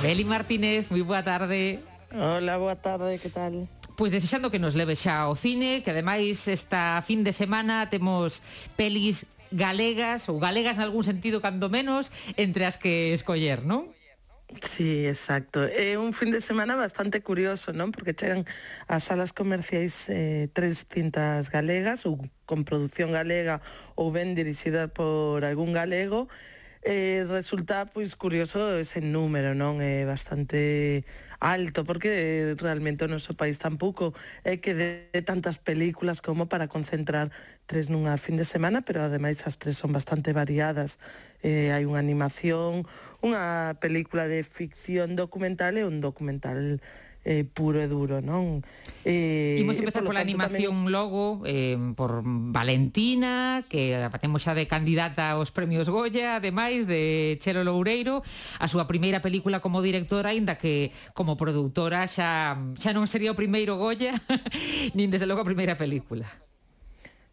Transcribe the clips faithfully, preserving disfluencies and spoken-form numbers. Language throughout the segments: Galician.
Beli Martínez, moi boa tarde. Hola, boa tarde, que tal? Pois desexando que nos leve xa ao cine, que ademais esta fin de semana temos pelis galegas, ou galegas nalgún sentido cando menos, entre as que escoller, non? Sí, exacto. É un fin de semana bastante curioso, non? Porque chegan ás salas comerciais eh, tres cintas galegas, ou con produción galega, ou ben dirixida por algún galego. Eh, resulta, pois, curioso ese número, non? É bastante alto, porque realmente o noso país tampouco é que de tantas películas como para concentrar tres nunha fin de semana, pero ademais as tres son bastante variadas. Eh, hai unha animación, unha película de ficción documental e un documental eh, puro e duro, non? Eh, Imos empezar pola animación tamén... logo, eh, por Valentina, que a temos xa de candidata aos premios Goya, ademais de Chelo Loureiro, a súa primeira película como directora, aínda que como produtora xa, xa non sería o primeiro Goya, nin desde logo a primeira película.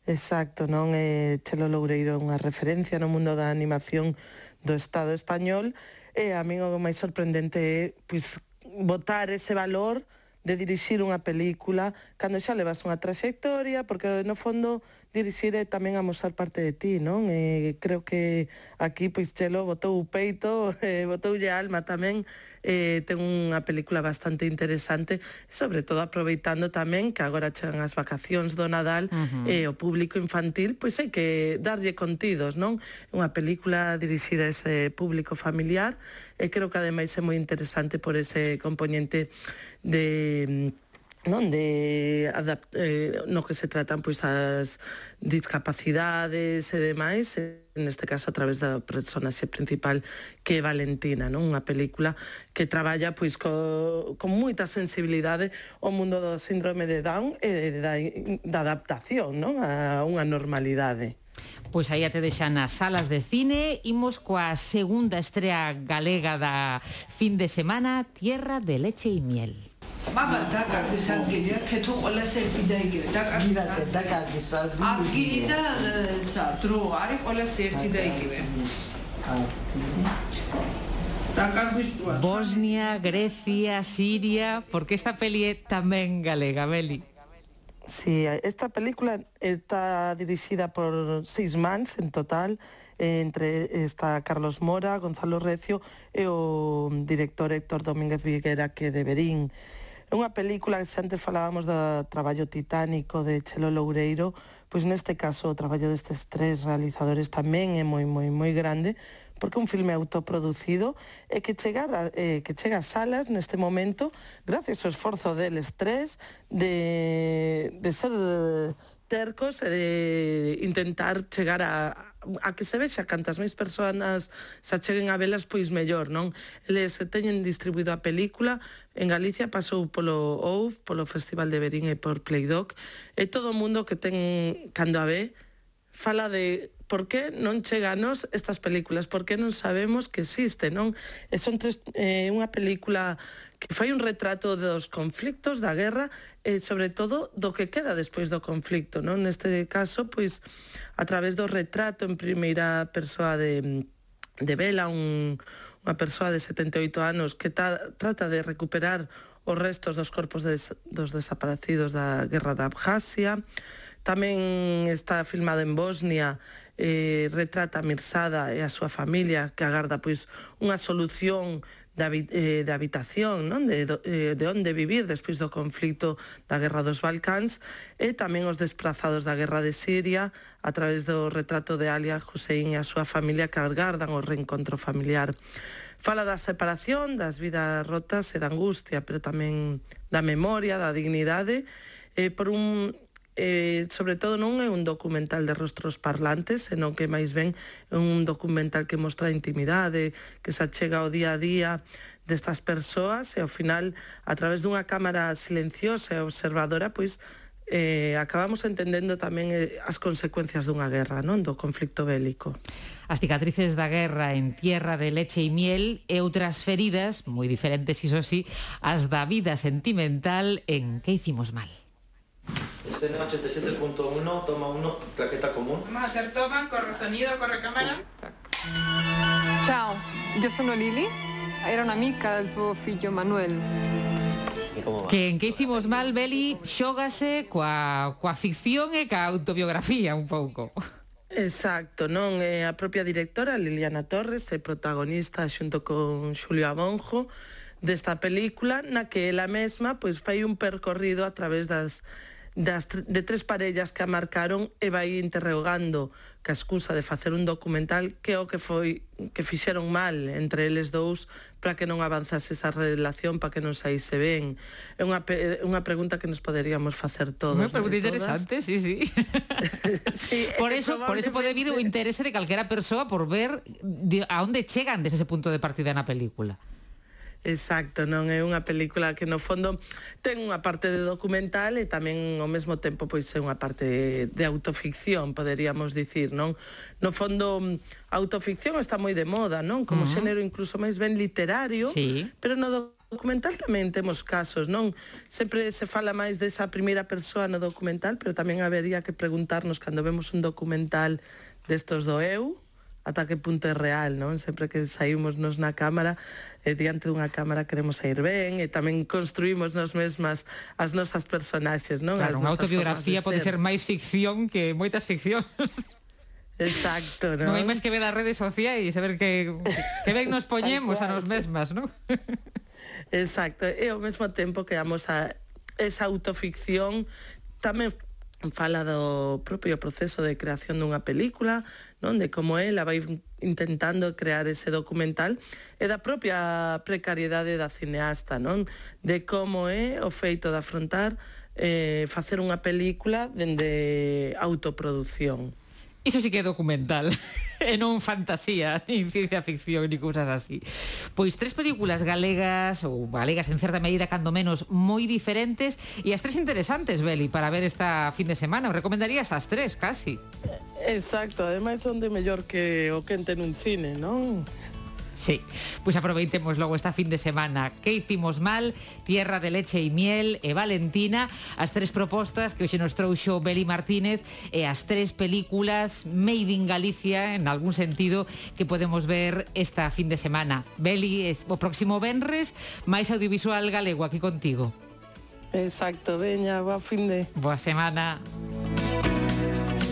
Exacto, non? Eh, Chelo Loureiro é unha referencia no mundo da animación do Estado español, e a min o máis sorprendente é, pois, botar ese valor de dirixir unha película cando xa levas unha traxectoria, porque no fondo dirixir é tamén amosar parte de ti, non? E creo que aquí, pois, Chelo botou o peito, eh, botoulle a alma tamén, eh, ten unha película bastante interesante, sobre todo aproveitando tamén que agora chegan as vacacións do Nadal, uh-huh. e o público infantil, pois hai que darlle contidos, non? Unha película dirixida a ese público familiar, e creo que ademais é moi interesante por ese componente de... non de adapt, eh, no que se tratan pois as discapacidades e demais, neste caso a través da personaxe principal que é Valentina, non? Unha película que traballa pois co, con moita sensibilidade o mundo do síndrome de Down e da, da adaptación, non? A unha normalidade. Pois aí te deixan nas salas de cine. Imos coa segunda estrea galega da fin de semana, Tierra de leche y miel. Maga da kardeşan geliyor, keto ola sevfideye geliyor. Da kardeşan. Da kardeşan. Akili da satro, arif ola sevfideye geliyor. Bosnia, Grecia, Siria, porque esta peli é tamén galega, Beli. Sí, esta película está dirixida por seis mans en total, entre está Carlos Mora, Gonzalo Recio e o director Héctor Domínguez Viguera, que de Verín. É unha película que, se antes falábamos do traballo titánico de Chelo Loureiro, pois neste caso o traballo destes tres realizadores tamén é moi, moi, moi grande, porque é un filme autoproducido e que chega, eh, que chega a salas neste momento gracias ao esforzo deles tres de, de ser tercos e de intentar chegar a, a que se vexa cantas máis persoas se acheguen a velas, pois mellor, non? Eles teñen distribuído a película en Galicia, pasou polo O U F, polo Festival de Verín e por Playdoc, e todo o mundo que ten cando a ve fala de por que non cheganos estas películas, por que non sabemos que existe, non? E son tres, eh, unha película que fai un retrato dos conflictos, da guerra, e sobre todo do que queda despois do conflicto, non? Neste caso, pois, a través do retrato en primeira persoa de, de Bela, un, unha persoa de setenta e oito anos que ta, trata de recuperar os restos dos corpos des, dos desaparecidos da guerra da Abjasia. Tamén está filmada en Bosnia, eh, retrata a Mirsada e a súa familia que agarda pois unha solución de, eh, de habitación, non? De, de, de onde vivir despois do conflito da guerra dos Balcáns, e tamén os desplazados da guerra de Siria a través do retrato de Alia Hussein e a súa familia que agardan o reencontro familiar. Fala da separación, das vidas rotas e da angustia, pero tamén da memoria, da dignidade, eh, por un... Eh, sobre todo non é un documental de rostros parlantes, senón que máis ben é un documental que mostra a intimidade, que se achega ao día a día destas persoas, e ao final, a través dunha cámara silenciosa e observadora, pois eh, acabamos entendendo tamén eh, as consecuencias dunha guerra, non? Do conflicto bélico. As cicatrices da guerra en Tierra de leche y miel, e outras feridas, moi diferentes iso sí, as da vida sentimental en Que hicimos mal. Escena ochenta y siete punto uno, toma uno, claqueta común. Vamos a hacer toma, corre sonido, corre cámara. Ciao, io sono Lili, era unha amiga do teu fillo Manuel. Que en que hicimos mal, Beli, xógase coa, coa ficción e coa autobiografía un pouco. Exacto, non? É a propia directora, Liliana Torres, é protagonista xunto con Xulio Abonjo desta película, na que ela mesma pois fai un percorrido a través das das de tres parellas que a marcaron e vai interrogando ca excusa de facer un documental que é o que foi que fixeron mal entre eles dous para que non avanzase esa relación, para que non saíse ben. É unha, unha pregunta que nos poderíamos facer todos. Unha pregunta interesante, sí, sí. sí por eso, por eso pode vir o interese de calquera persoa por ver de, a onde chegan desde ese punto de partida na película. Exacto, non é unha película que no fondo ten unha parte de documental e tamén ao mesmo tempo pois é unha parte de autoficción, poderíamos dicir, non? No fondo a autoficción está moi de moda, non? Como uh -huh. xénero incluso máis ben literario, sí. Pero no documental tamén temos casos, non? Sempre se fala máis desa primeira persoa no documental, pero tamén habería que preguntarnos cando vemos un documental destos do eu, ata que punto é real, non? Sempre que saímos nos na cámara, eh, diante dunha cámara queremos sair ben e tamén construímos nos mesmas as nosas personaxes, non? Claro, unha autobiografía pode ser. ser máis ficción que moitas ficcións. Exacto, non? Non hai máis que ver as redes sociais e saber que, que ben nos poñemos a nos mesmas, non? Exacto, e ao mesmo tempo que damos a esa autoficción tamén fala do propio proceso de creación dunha película, non? De como ela vai intentando crear ese documental e da propia precariedade da cineasta, non? De como é o feito de afrontar eh, facer unha película dende autoproducción. Iso sí que é documental, e non fantasía, nin ciencia ficción, ni cousas así. Pois tres películas galegas, ou galegas en certa medida, cando menos, moi diferentes, e as tres interesantes, Beli, para ver esta fin de semana. Os recomendarías as tres, casi. Exacto, ademais son de mellor que o que ente nun cine, non? Sí, pois aproveitemos logo esta fin de semana. Que hicimos mal? Tierra de leche e miel e Valentina, as tres propostas que hoxe nos trouxo Beli Martínez e as tres películas made in Galicia, en algún sentido, que podemos ver esta fin de semana. Beli, es, o próximo venres, máis audiovisual galego aquí contigo. Exacto, veña, boa fin de... Boa semana.